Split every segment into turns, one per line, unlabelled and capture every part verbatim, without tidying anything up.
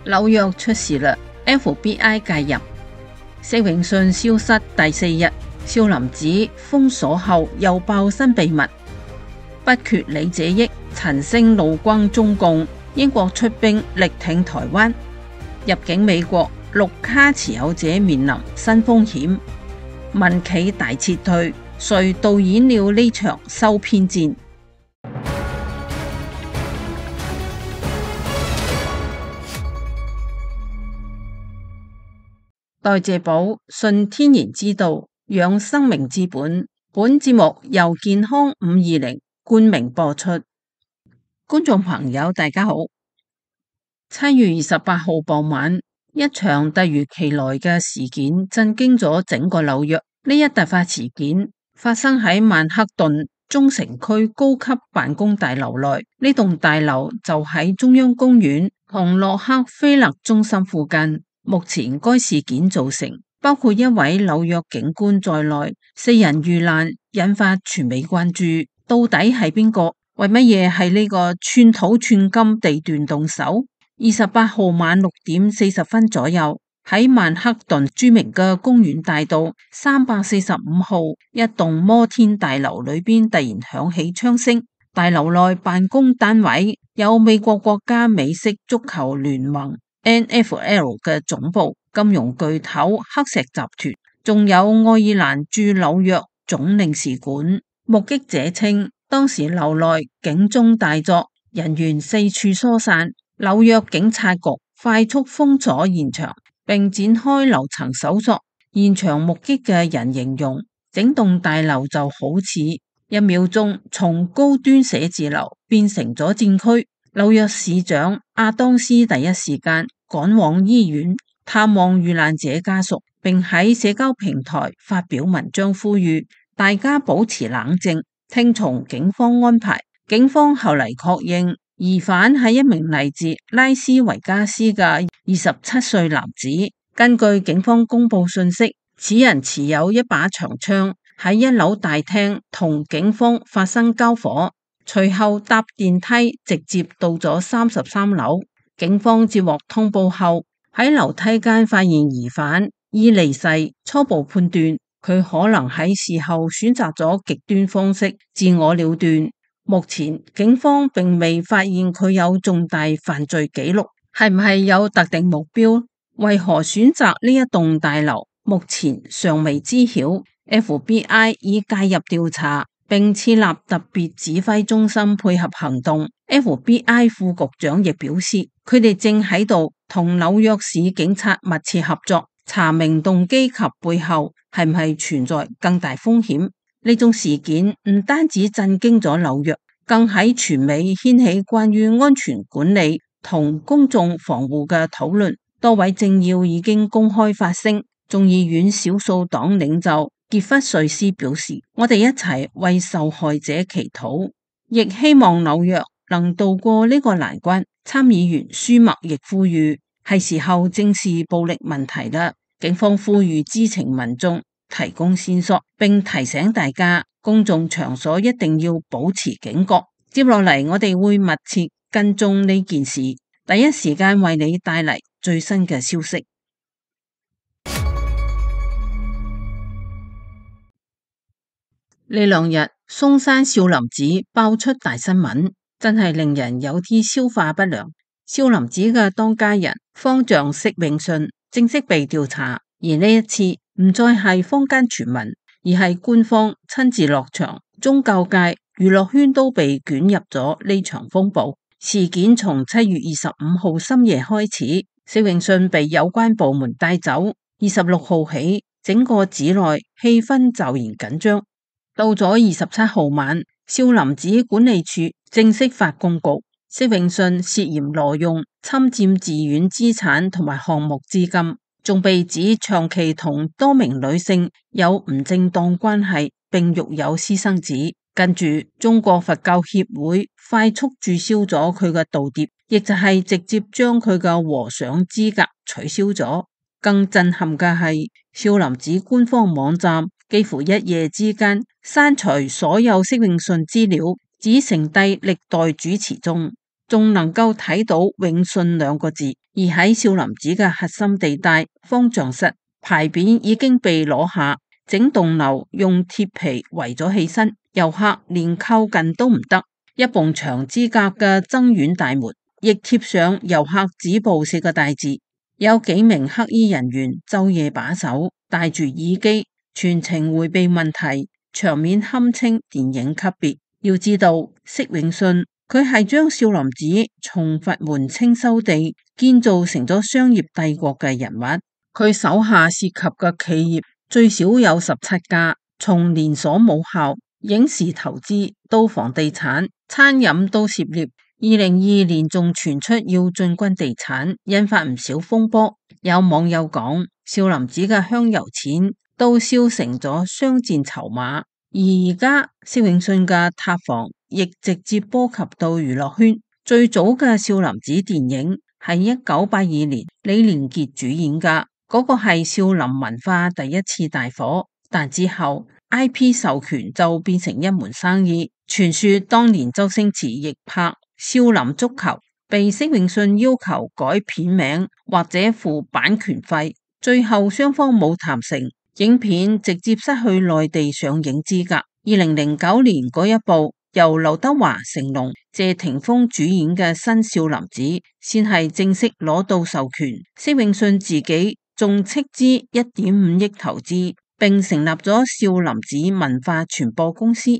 紐約出事啦 ，F B I 介入。釋永信消失第四日，少林寺封鎖後又爆新秘密。不缺李者益，陳星怒轟中共。英國出兵力挺台灣。入境美國，綠卡持有者面臨新風險。民企大撤退，誰導演了呢場收編戰？代謝寶，信天然之道，養生命之本。本節目由健康五二零冠名播出。觀眾朋友大家好。七月二十八號傍晚，一場突如其來嘅事件震驚咗整個紐約。呢一突發事件發生喺曼克頓中城區高級辦公大樓內，呢棟大樓就喺中央公園同洛克菲勒中心附近。目前該事件造成包括一位紐約警官在內四人遇難，引發全美關注。到底係邊個？為乜嘢係呢個寸土寸金地段動手？二十八號晚六點四十分左右，喺曼克頓著名嘅公園大道三百四十五號一棟摩天大樓裏邊突然響起槍聲。大樓內辦公單位有美國國家美式足球聯盟 N F L 嘅總部、金融巨頭黑石集團，仲有愛爾蘭駐紐約總領事館。目擊者稱，當時樓內警鐘大作，人員四處疏散。紐約警察局快速封鎖現場，並展開樓層搜索。現場目擊嘅人形容，整棟大樓就好似一秒鐘從高端寫字樓變成咗戰區。紐約市長阿當斯第一時間趕往醫院探望遇難者家屬，並喺社交平台發表文章呼籲大家保持冷靜，聽從警方安排。警方後嚟確認，疑犯係一名嚟自拉斯維加斯嘅二十七歲男子。根據警方公布信息，此人持有一把長槍，喺一樓大廳同警方發生交火，隨後搭電梯直接到咗三十三樓。警方接獲通報後，喺樓梯間發現疑犯已離世，初步判斷佢可能喺事後選擇咗極端方式自我了斷。目前警方並未發現佢有重大犯罪記錄，係唔係有特定目標？為何選擇呢一棟大樓？目前尚未知曉。F B I 已介入調查，並設立特別指揮中心配合行動。F B I 副局長亦表示，佢哋正喺度同紐約市警察密切合作，查明動機及背後係唔係存在更大風險。呢種事件唔單止震驚咗紐約，更喺全美掀起關於安全管理同公眾防護嘅討論。多位政要已經公開發聲。眾議院少數黨領袖傑弗瑞斯表示，我哋一齊為受害者祈禱，亦希望紐約能渡過呢個難關。參議員舒默亦呼籲，係時候正視暴力問題啦。警方呼籲知情民眾提供線索，並提醒大家公眾場所一定要保持警覺。接落嚟，我哋會密切跟蹤呢件事，第一時間為你帶嚟最新嘅消息。呢兩日松山少林寺爆出大新聞，真係令人有啲消化不良。少林寺嘅當家人方丈釋永信正式被調查，而呢一次唔再係坊間傳聞，而係官方親自落場。宗教界、娛樂圈都被捲入咗呢場風暴。事件從七月二十五號深夜開始，釋永信被有關部門帶走。二十六號起，整個寺內氣氛驟然緊張。到咗二十七號晚，少林寺管理處正式發公告，釋永信涉嫌挪用、侵佔寺院資產同埋項目資金，仲被指長期同多名女性有唔正當關係，並育有私生子。跟住，中國佛教協會快速註銷咗佢嘅道牒，亦就係直接將佢嘅和尚資格取消咗。更震撼嘅係，少林寺官方網站幾乎一夜之間刪除所有釋永信資料，只剩低歷代主持中。仲能夠睇到永信兩個字。而喺少林寺嘅核心地帶方丈室，牌匾已經被攞下，整棟樓用鐵皮圍咗起身，遊客連靠近都唔得。一埲牆之隔嘅僧院大門亦貼上遊客止步四個大字，有幾名黑衣人員晝夜把守，戴住耳機，全程迴避問題，場面堪稱電影級別。要知道，釋永信佢係將少林寺從佛門清修地建造成咗商業帝國嘅人物，佢手下涉及嘅企業最少有十七家，從連鎖母校、影視投資到房地產、餐飲都涉獵。二零二二年仲傳出要進軍地產，引發唔少風波。有網友講，少林寺嘅香油錢都燒成咗商戰籌碼。而而家釋永信嘅塌房亦直接波及到娛樂圈。最早嘅少林寺電影係一九八二年李連杰主演噶，嗰、那個係少林文化第一次大火。但之後 I P 授權就變成一門生意。傳說當年周星馳亦拍少林足球，被釋永信要求改片名或者付版權費，最後雙方冇談成，影片直接失去內地上映資格。二零零九年嗰一部由劉德華、成龍、謝霆鋒主演嘅新少林寺先係正式攞到授權，釋永信自己仲斥資一點五億投資，並成立咗少林寺文化傳播公司。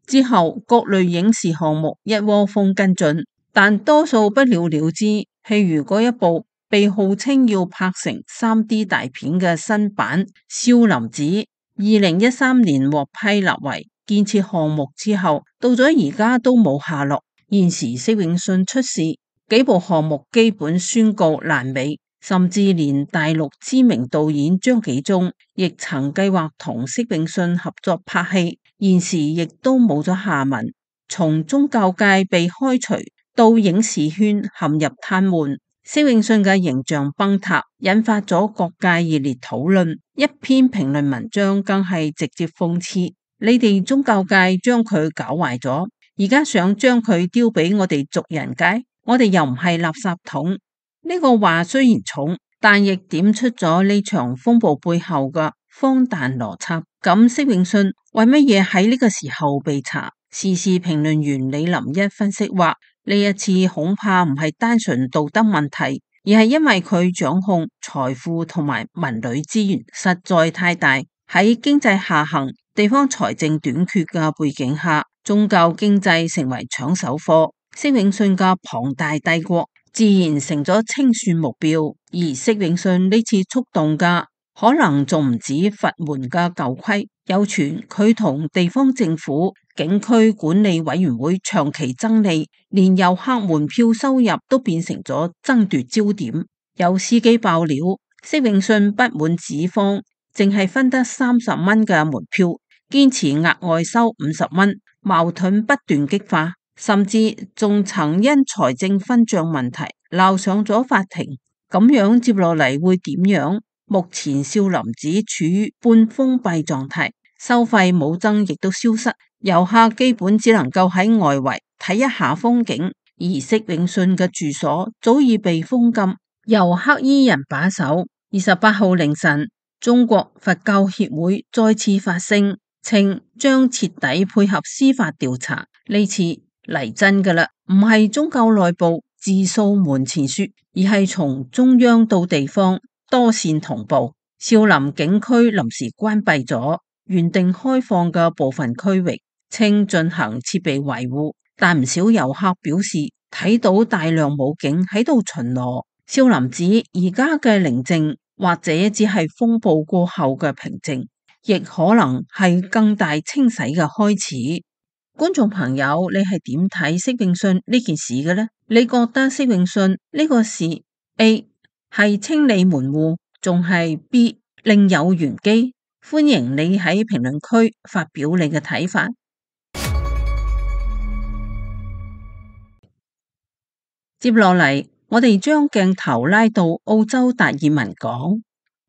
之後各類影視項目一窩蜂跟進，但多數不了了之。譬如嗰一部被號稱要拍成 三 D 大片嘅新版少林寺，二零一三年獲批立為建設項目之後，到咗而家都冇下落。現時釋永信出事，幾部項目基本宣告爛尾，甚至連大陸知名導演張紀中亦曾計劃同釋永信合作拍戲，現時亦都冇咗下文。從宗教界被開除到影視圈陷入癱瘓，釋永信嘅形象崩塌，引發咗各界熱烈討論。一篇評論文章更係直接諷刺：你哋宗教界將佢搞壞咗，而家想將佢丟俾我哋俗人界，我哋又唔係垃圾桶。呢個話雖然重，但亦點出咗呢場風暴背後嘅荒誕邏輯。咁釋永信為乜嘢喺呢個時候被查？時事評論員李林一分析話，呢一次恐怕唔係單純道德問題，而係因為佢掌控財富同埋文旅資源實在太大，喺經濟下行、地方財政短缺嘅背景下，宗教經濟成為搶手貨，釋永信嘅龐大帝國自然成咗清算目標。而釋永信呢次觸動嘅可能仲唔止佛門嘅舊規，有傳佢同地方政府、景區管理委員會長期爭利，連遊客門票收入都變成咗爭奪焦點。有司機爆料，釋永信不滿寺方淨係分得三十蚊嘅門票，堅持額外收五十蚊，矛盾不斷激化，甚至仲曾因財政分賬問題鬧上咗法庭。咁樣接落嚟會點樣？目前少林寺處於半封閉狀態，收費冇增亦都消失，遊客基本只能夠喺外圍睇一下風景，而釋永信嘅住所早已被封禁，由黑衣人把守。二十八號凌晨，中國佛教協會再次發聲，稱將徹底配合司法調查。呢次嚟真㗎喇，唔係宗教內部自掃門前雪，而係從中央到地方多線同步。少林景區臨時關閉咗原定開放嘅部分區域，稱進行設備維護，但唔少遊客表示睇到大量武警喺度巡邏。少林寺而家嘅寧靜，或者只係風暴過後嘅平靜，亦可能係更大清洗嘅開始。觀眾朋友，你係點睇釋永信呢件事嘅呢？你覺得釋永信呢個事 A 係清理門戶，仲係 B 另有玄機？歡迎你喺評論區發表你嘅睇法。接落嚟，我哋將鏡頭拉到澳洲達爾文港。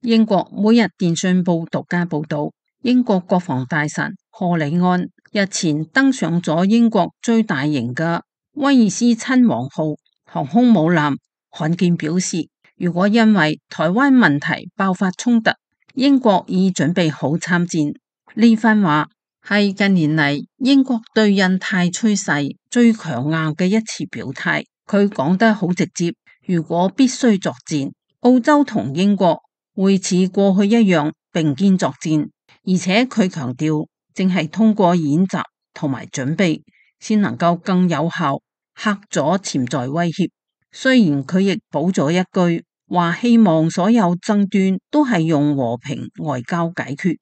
英國每日電訊報獨家報道，英國國防大臣賀里安日前登上咗英國最大型嘅威爾斯親王號航空母艦罕見表示，如果因為台灣問題爆發衝突，英國已準備好參戰。呢番話係近年嚟英國對印太趨勢最強硬嘅一次表態。佢講得好直接，如果必須作戰，澳洲同英國會似過去一樣並肩作戰，而且佢強調，正係通過演習同埋準備，先能夠更有效嚇阻潛在威脅。雖然佢亦補咗一句，話希望所有爭端都係用和平外交解決，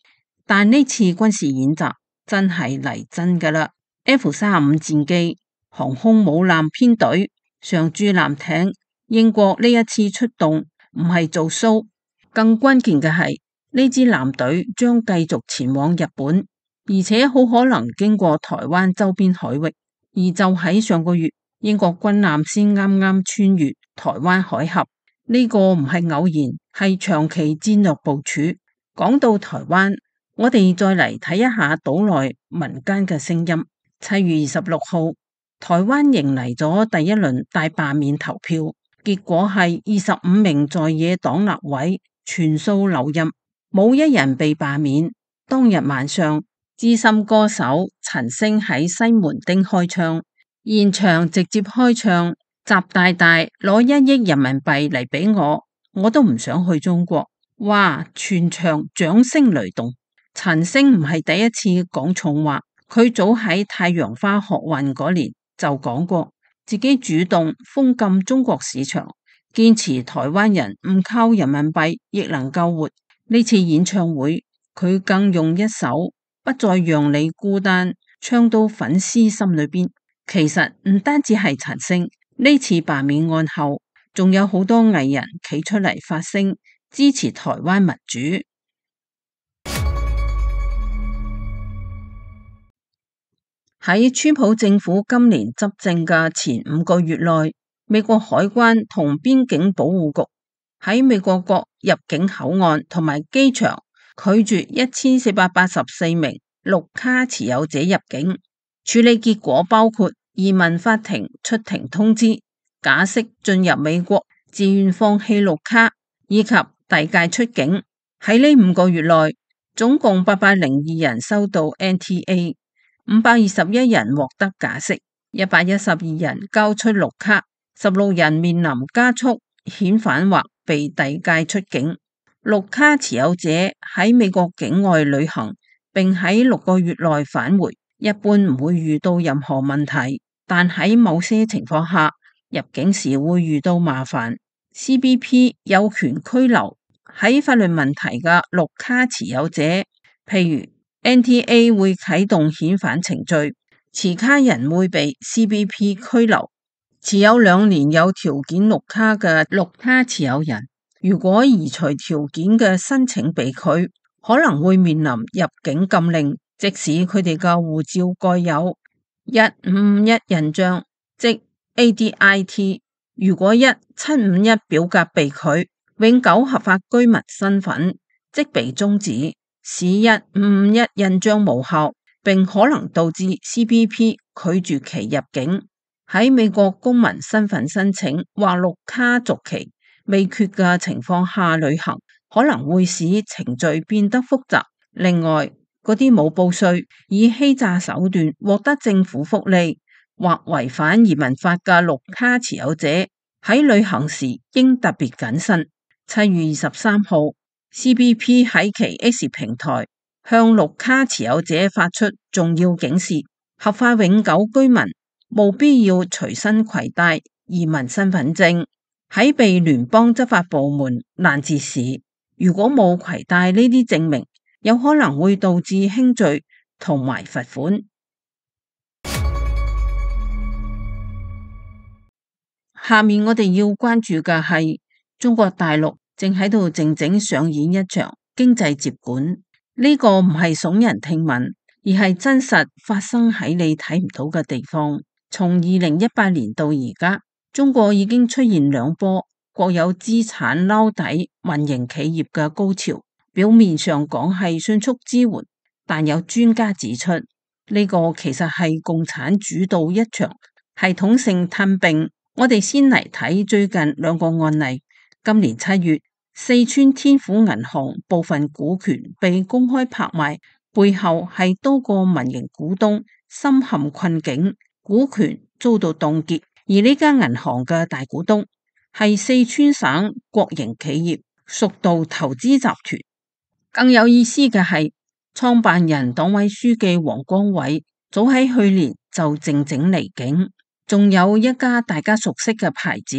但呢次軍事演習真係嚟真㗎喇。F 三十五戰機、航空母艦編隊、常駐艦艇，英國呢一次出動唔係做 show，更關鍵嘅係呢支艦隊將繼續前往日本，而且好可能經過台灣周邊海域。而就喺上個月，英國軍艦先啱啱穿越台灣海峽。呢個唔係偶然，係長期戰略部署。講到台灣，我哋再嚟睇一下島內民間嘅聲音。七月二十六號，台灣迎嚟咗第一輪大罷免投票，結果係二十五名在野黨立委全數留任，冇一人被罷免。當日晚上，資深歌手陳星喺西門町開唱，現場直接開唱。習大大攞一億人民幣嚟俾我，我都唔想去中國。哇！全場掌聲雷動。陳星唔係第一次講重話，佢早喺太陽花學運嗰年就講過，自己主動封禁中國市場，堅持台灣人唔靠人民幣亦能夠活。呢次演唱會，佢更用一首不再讓你孤單唱到粉絲心裏邊。其實唔單止係陳星。呢次罷免案後，仲有好多藝人企出嚟發聲，支持台灣民主。喺川普政府今年執政嘅前五個月內，美國海關同邊境保護局喺美國各入境口岸同埋機場拒絕一千四百八十四名綠卡持有者入境。處理結果包括移民法庭出庭通知、假釋進入美國、自願放棄綠卡以及遞解出境。喺呢五個月內，總共八百零二人收到 N T A， 五百二十一人獲得假釋，一百一十二人交出綠卡，十六人面臨加速遣返或被遞解出境。綠卡持有者喺美國境外旅行並喺六個月內返回，一般唔會遇到任何問題，但喺某些情況下，入境時會遇到麻煩。C B P 有權拘留喺法律問題嘅綠卡持有者，譬如 N T A 會啟動遣返程序，持卡人會被 C B P 拘留。持有兩年有條件綠卡嘅綠卡持有人，如果移除條件嘅申請被拒，可能會面臨入境禁令，即使佢哋嘅護照蓋有一五五一印章，即 A D I T。 如果一七五一表格被拒，永久合法居民身份即被終止，使一五五一印章無效，並可能導致 C B P 拒絕其入境。喺美國公民身份申請或綠卡續期未決嘅情況下旅行，可能會使程序變得複雜。另外，嗰啲冇報稅、以欺詐手段獲得政府福利或違反移民法嘅綠卡持有者，喺旅行時應特別謹慎。七月二十三號 C B P 喺其 X 平台向綠卡持有者發出重要警示，合法永久居民務必要隨身攜帶移民身份證。喺被聯邦執法部門攔截時，如果冇攜帶呢啲證明，有可能會導致輕罪同埋罰款。下面我哋要關注嘅係中國大陸正喺度靜靜上演一場經濟接管。呢個唔係聳人聽聞，而係真實發生喺你睇唔到嘅地方。從二零一八年到而家，中國已經出現兩波國有資產撈底民營企業嘅高潮。表面上講係迅速支援，但有專家指出，呢個其實係共產主導一場系統性吞併。我哋先嚟睇最近兩個案例。今年七月，四川天府銀行部分股權被公開拍賣，背後係多個民營股東深陷困境，股權遭到凍結。而呢間銀行嘅大股東係四川省國營企業蜀道投資集團。更有意思嘅係，創辦人黨委書記王光偉早喺去年就靜靜離境。仲有一家大家熟悉嘅牌子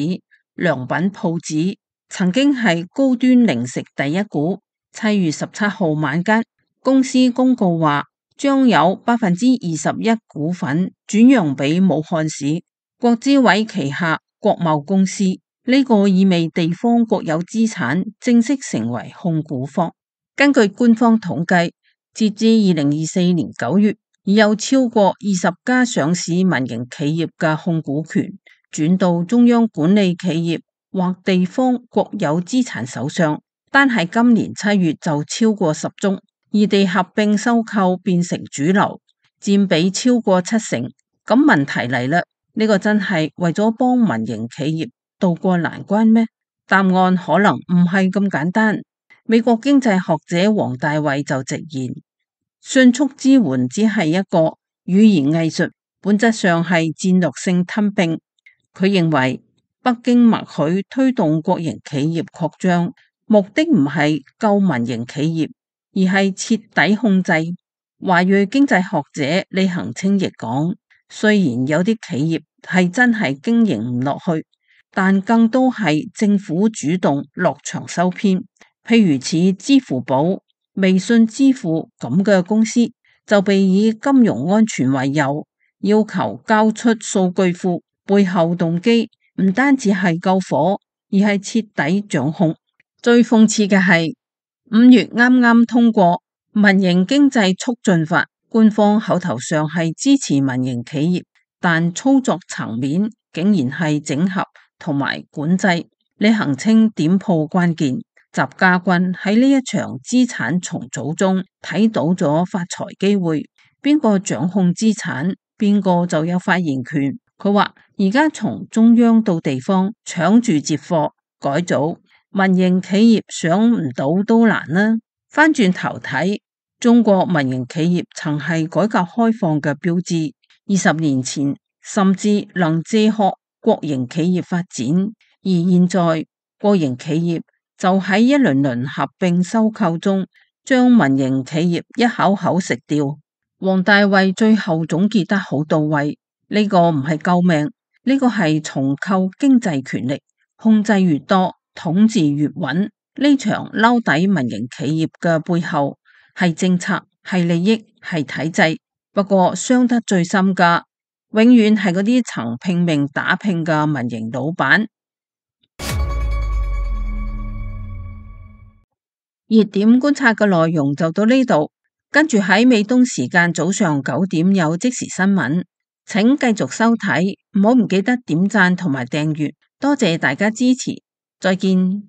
良品鋪子，曾經係高端零食第一股。七月十七號晚間，公司公告話將有百分之二十一股份轉讓俾武漢市國資委旗下國貿公司。呢個意味地方國有資產正式成為控股方。根據官方統計，截至二零二四年九月，已有超過二十家上市民營企業嘅控股權轉到中央管理企業或地方國有資產手上，單係今年七月就超過十宗，異地合併收購變成主流，佔比超過七成。咁問題嚟啦，呢個真係為咗幫民營企業渡過難關咩？答案可能唔係咁簡單。美國經濟學者王大衛就直言，迅速支援只係一個語言藝術，本質上係戰略性吞併。佢認為北京默許推動國營企業擴張，目的唔係救民營企業，而係徹底控制。華裔經濟學者李恒清亦講，雖然有啲企業係真係經營唔落去，但更多係政府主動落場收編。譬如似支付寶、微信支付咁嘅公司，就被以金融安全為由，要求交出數據庫，背後動機唔單止係救火，而係徹底掌控。最諷刺嘅係，五月啱啱通過民營經濟促進法，官方口頭上係支持民營企業，但操作層面竟然係整合同埋管制。李恒清點破關鍵。習家軍喺呢一場資產重組中睇到咗發財機會，邊個掌控資產，邊個就有發言權。佢話而家從中央到地方搶住接貨改組，民營企業想唔到都難啦。翻轉頭睇，中國民營企業曾係改革開放嘅標誌，二十年前甚至能借學國營企業發展，而現在國營企業就喺一輪輪合併收購中，將民營企業一口口食掉。王大衛最後總結得好到位，呢個唔係救命，呢個係重構經濟權力，控制越多，統治越穩。呢場撈底民營企業嘅背後係政策、係利益、係體制。不過傷得最深嘅，永遠係嗰啲曾拼命打拼嘅民營老闆。熱點觀察嘅內容就到呢度，跟住喺美東時間早上九點有即時新聞，請繼續收睇，唔好唔記得點讚同埋訂閱，多謝大家支持，再見。